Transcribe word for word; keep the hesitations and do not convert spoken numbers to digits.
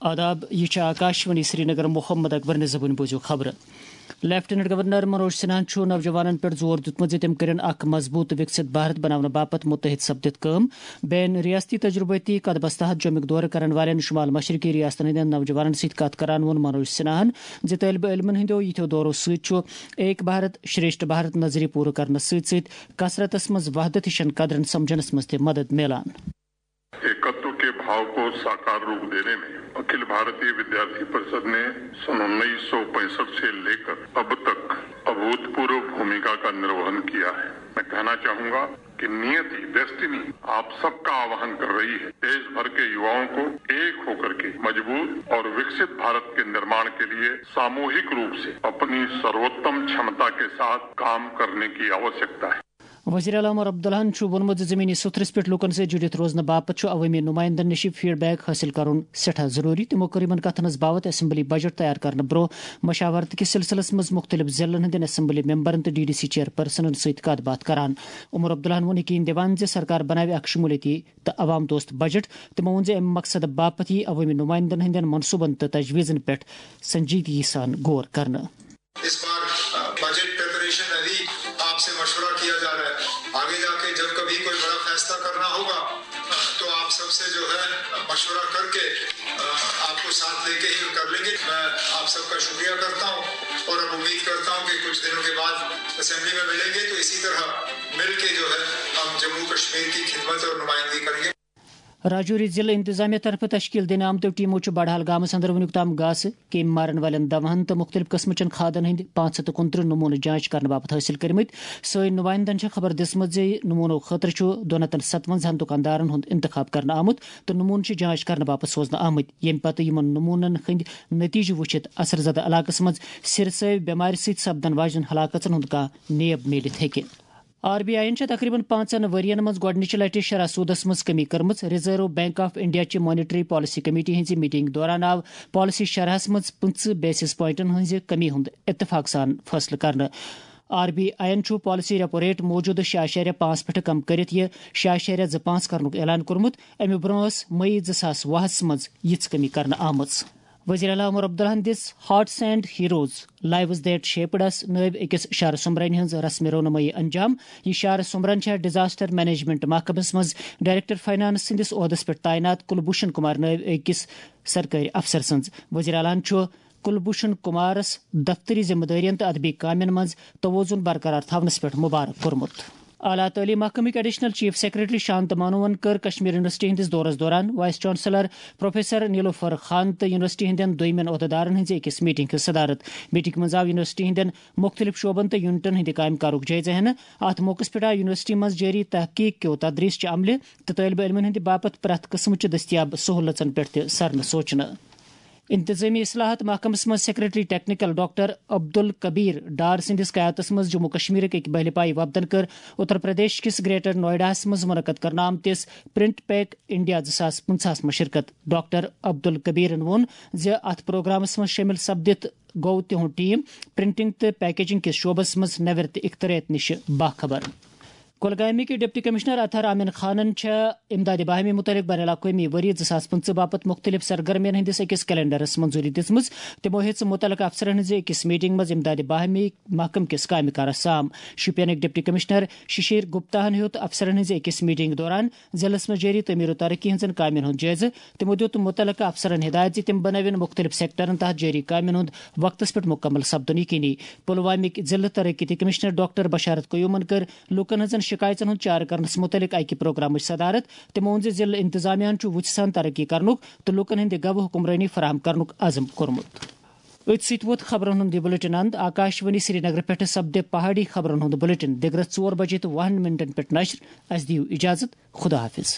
آداب، یہِ چھِ آکاشوانی سرینگر۔ محمد اکبر نِزبُن بوٗزِو خبرٕ۔ لیفٹیننٹ گورنر منوج سنہاہن چھُ نوجوانن پٮ۪ٹھ زور دیُتمُت زِ تِم کٔرِن اکھ مضبوٗط وِکسِت بھارت بناونہٕ باپتھ مُتحد سپدِتھ کٲم۔ بین ریاستی تجربٲتی قدمس تحت جوٚمِک دورٕ کرن والٮ۪ن شمال مشرقی ریاستن ہٕنٛدٮ۪ن نوجوانن سۭتۍ کتھ کران ووٚن منوج سنہاہن زِ طٲلبہِ علمن ہٕنٛدیو یِتھیو دورو سۭتۍ چھُ ایک بھارت شریشٹھ بھارت نظریہ پوٗرٕ کرنس سۭتۍ سۭتۍ کثرتس منٛز وحدت ہِشن قدرن سمجھنس منٛز تہِ مدد میلان۔ एकत्व के भाव को साकार रूप देने में अखिल भारतीय विद्यार्थी परिषद ने सन उन्नीस सौ पैंसठ से लेकर अब तक अभूतपूर्व भूमिका का निर्वहन किया है। मैं कहना चाहूंगा कि नियति, डेस्टिनी, आप सबका आह्वान कर रही है। देश भर के युवाओं को एक होकर के मजबूत और विकसित भारत के निर्माण के लिए सामूहिक रूप से अपनी सर्वोत्तम क्षमता के साथ काम करने की आवश्यकता है। وزیر اعلیٰ عمر عبداللہن چھُ ووٚنمُت زِ زمینی سطحس پٮ۪ٹھ لوٗکن سۭتۍ جُڑِتھ روزنہٕ باپتھ چھُ عوٲمی نُمٲیندن نِش فیڈ بیک حٲصِل کرُن سٮ۪ٹھاہ ضروٗری۔ تِمو کٔر یِمن کتھن ہٕنٛز باوتھ اسمبلی بجٹ تیار کرنہٕ برٛونٛہہ مشاورت کِس سلسلس منٛز مُختٔلِف ضلعن ہٕنٛدٮ۪ن اسمبلی ممبرن تہٕ ڈی ڈی سی چیئرپرسنن سۭتۍ کتھ باتھ کران۔ عمر عبداللہن ووٚن یقین دِوان زِ سرکار بناوِ اکھ شمولیتی تہٕ عوام دوست بجٹ۔ تِمو ووٚن زِ امہِ مقصدٕ باپتھ یِیہِ عوٲمی نُمٲیندن ہٕنٛدٮ۪ن منصوٗبن تہٕ تجویزن پٮ۪ٹھ سنجیدگی سان غور کرنہٕ۔ इस बार बजट प्रिपरेशन अभी आपसे मशवरा किया जा रहा है। आगे जाके जब कभी कोई बड़ा फैसला करना होगा तो आप सबसे जो है मशवरा करके आपको साथ लेके ही कर लेंगे। मैं आप सबका शुक्रिया करता हूँ और अब उम्मीद करता हूँ कि कुछ दिनों के बाद असेंबली में मिलेंगे तो इसी तरह मिलके जो है हम जम्मू कश्मीर की खिदमत और नुमाइंदगी करेंगे। راجوری ضلع انتظامیہ طرفہٕ تشکیل دِنہٕ آمتیو ٹیمو چھُ بڑھال گامس اندر وُنیُک تام گاسہٕ، کیٚمۍ مارن والٮ۪ن دوہن تہٕ مُختٔلِف قٕسمہٕ چٮ۪ن کھادن ہٕنٛدۍ پانٛژھ ہَتھ تہٕ کُنترٕہ نموٗنہٕ جانچ کرنہٕ باپتھ حٲصِل کٔرمٕتۍ۔ سٲنۍ نُمٲیندن چھےٚ خبر دِژمٕژ زِ نموٗنو خٲطرٕ چھُ دُنَتن ستوَن ہن دُکاندارن ہُنٛد انتخاب کرنہٕ آمُت تہٕ نموٗنہٕ چھِ جانچ کرنہٕ باپتھ سوزنہٕ آمٕتۍ، ییٚمہِ پتہٕ یِمن نموٗنن ہٕنٛدۍ نتیجہٕ وٕچھِتھ اثر زدٕ علاقس منٛز سِرسٲوۍ بٮ۪مارِ سۭتۍ سپدن واجٮ۪ن ہلاکژن ہُنٛد کانٛہہ نیب میٖلِتھ ہیٚکہِ۔ آر بی آئی یَن چھےٚ تقریباً پانٛژن ؤرۍ یَن منٛز گۄڈٕنِچہِ لَٹہِ شرح سوٗدَس منٛز کٔمی کٔرمٕژ۔ ریزرو بینک آف انڈیا چہِ مانیٹری پالیسی کمیٹی ہٕنٛزِ میٹنگ دوران آو پالیسی شرحَس منٛز پٕنٛژٕہ بیسس پوائنٹن ہٕنٛزِ کٔمی ہُنٛد اتفاق سان فٲصلہٕ کرنہٕ۔ آر بی آئی یَن چھُ پالیسی ریپو ریٹ موٗجوٗدٕ شےٚ اعشاریہ پانٛژھ پٮ۪ٹھ کم کٔرِتھ یہِ شےٚ اعشاریہ زٕ پانٛژھ کرنُک اعلان کوٚرمُت۔ اَمہِ برٛونٛہہ ٲس مئی زٕ ساس وُہَس منٛز یِژھ کٔمی کرنہٕ آمٕژ۔ وزیر اعلیٰ عمر عبداللہن دِژ hearts and heroes lives that شیپڈس نٲوۍ أکِس شعر سومبرنہِ ہٕنٛز رسمِ رونمٲیی انجام۔ یہِ شعر سومبرن چھےٚ ڈیزاسٹر مینجمنٹ محکمس منٛز ڈائریکٹر فائنانس سٕنٛدِس عہدس پٮ۪ٹھ تعینات کلبھوشن کمار نٲوۍ أکِس سرکٲرۍ افسر سٕنٛز۔ وزیر اعلیٰ ہن چھُ کلبھوشن کمارس دفتری ذمہ دٲرین تہٕ ادبی کامٮ۪ن منٛز توازن برقرار تھاونس پٮ۪ٹھ مبارک کوٚرمُت۔ اعلیٰ تعلیٖم محکمٕکۍ ایڈیشنل چیف سیکرٹری شانت مانوَن کٔر کشمیر یونیورسٹی ہٕنٛدِس دورس دوران وائس چانسلر پروفیسر نیلوفر خان تہٕ یونیورسٹی ہٕنٛدٮ۪ن دویمٮ۪ن عہدیدارن ہٕنٛزِ أکِس میٹنگ ہٕنٛز صدارت۔ میٹنگ منٛز آو یونیورسٹی ہٕنٛدٮ۪ن مُختٔلِف شعبن تہٕ یونٹن ہٕنٛدِ کامہِ کارُک جٲیزٕ ہٮ۪نہٕ۔ اتھ موقعس پٮ۪ٹھ آو یونیورسٹی منٛز جٲری تحقیق کیو تدریس چہِ عملہِ تہٕ طٲلبہِ علمن ہٕنٛدِ باپتھ پرٛٮ۪تھ قٕسمٕچہِ دٔستیاب سہوٗلژن پٮ۪ٹھ تہِ سرنہٕ سوچنہٕ۔ انتظامی اصلاحات محکمس منٛز سیکرٹری ٹیکنیکل ڈاکٹر عبدالکبیر ڈار سٕنٛدِس قیادتس منٛز جموں کشمیرٕکۍ أکۍ بہلہِ پایہِ وفدن کٔر اتر پردیش کِس گریٹر نوئیڈاہس منٛز منعقد کرنہٕ آمتِس پرنٹ پیک انڈیا زٕ ساس پٕنٛژٕہَس منٛز شرکت۔ ڈاکٹر عبدالکبیرن ووٚن زِ اتھ پروگرامس منٛز شٲمِل سپدِتھ گوٚو تِہُنٛد ٹیم پرنٹنگ تہٕ پیکیجنگ کِس شعبس منٛز نوٮ۪ر تہٕ اختراعیت نِش باخبر۔ کۄلگامٕکۍ ڈپٹی کمشنر اطہر آمن خانن چھےٚ امداد باہمی متعلق بین الاقوٲمی ؤری زٕ ساس پٕنٛژٕہ باپتھ مُختٔلِف سرگرمین ہٕنٛدِس أکِس کیلنڈرس منظوٗری دِژمٕژ۔ تِمو ہیٚژ مُتعلقہٕ افسرن ہٕنٛزِ أکِس میٹنگ منٛز امداد باہمی محکمہٕ کِس کامہِ کارس سام۔ شوپینٕکۍ ڈپٹی کمشنر ششیر گپتاہن ہیوٚت افسرن ہٕنٛزِ أکِس میٹنگ دوران ضلعس منٛز جٲری تعمیٖر و ترقی ہٕنٛزن کامین ہُنٛد جٲیزٕ۔ تِمو دِیُت مُتعلقہٕ افسرن ہدایت زِ تِم بنٲوِن مُختٔلِف سیکٹرن تحت جٲری کامین ہُنٛد وقتس پٮ۪ٹھ مُکمل سپدُن یقینی۔ پلوامٕکۍ ضلعہٕ ترقیتی کمشنر ڈاکٹر بشارت قیومن کٔر لوٗکن ہٕنٛزن شِکایژن ہُنٛد چارٕ کرنس مُتعلق اکہِ پروگرامٕچ صدارت۔ تِمو ووٚن زِ ضلعہٕ انتظامیہ ہن چھُ وُژھِ سان ترقی کرنُک تہٕ لوٗکن ہٕنٛدِ گوٚو حکمرٲنی فراہم کرنُک عزم کوٚرمُت۔ أتھۍ سۭتۍ ووت خبرن ہُنٛد یہِ بلیٹن اند۔ آکاشوانی سرینگرٕ پٮ۪ٹھٕ سپدِ پہاڑی خبرن ہُنٛد بلیٹن دِگرس ژور بجے تہٕ وُہن منٹن پٮ۪ٹھ نشر۔ اسہِ دِیِو اجازت۔ خدا حافظ۔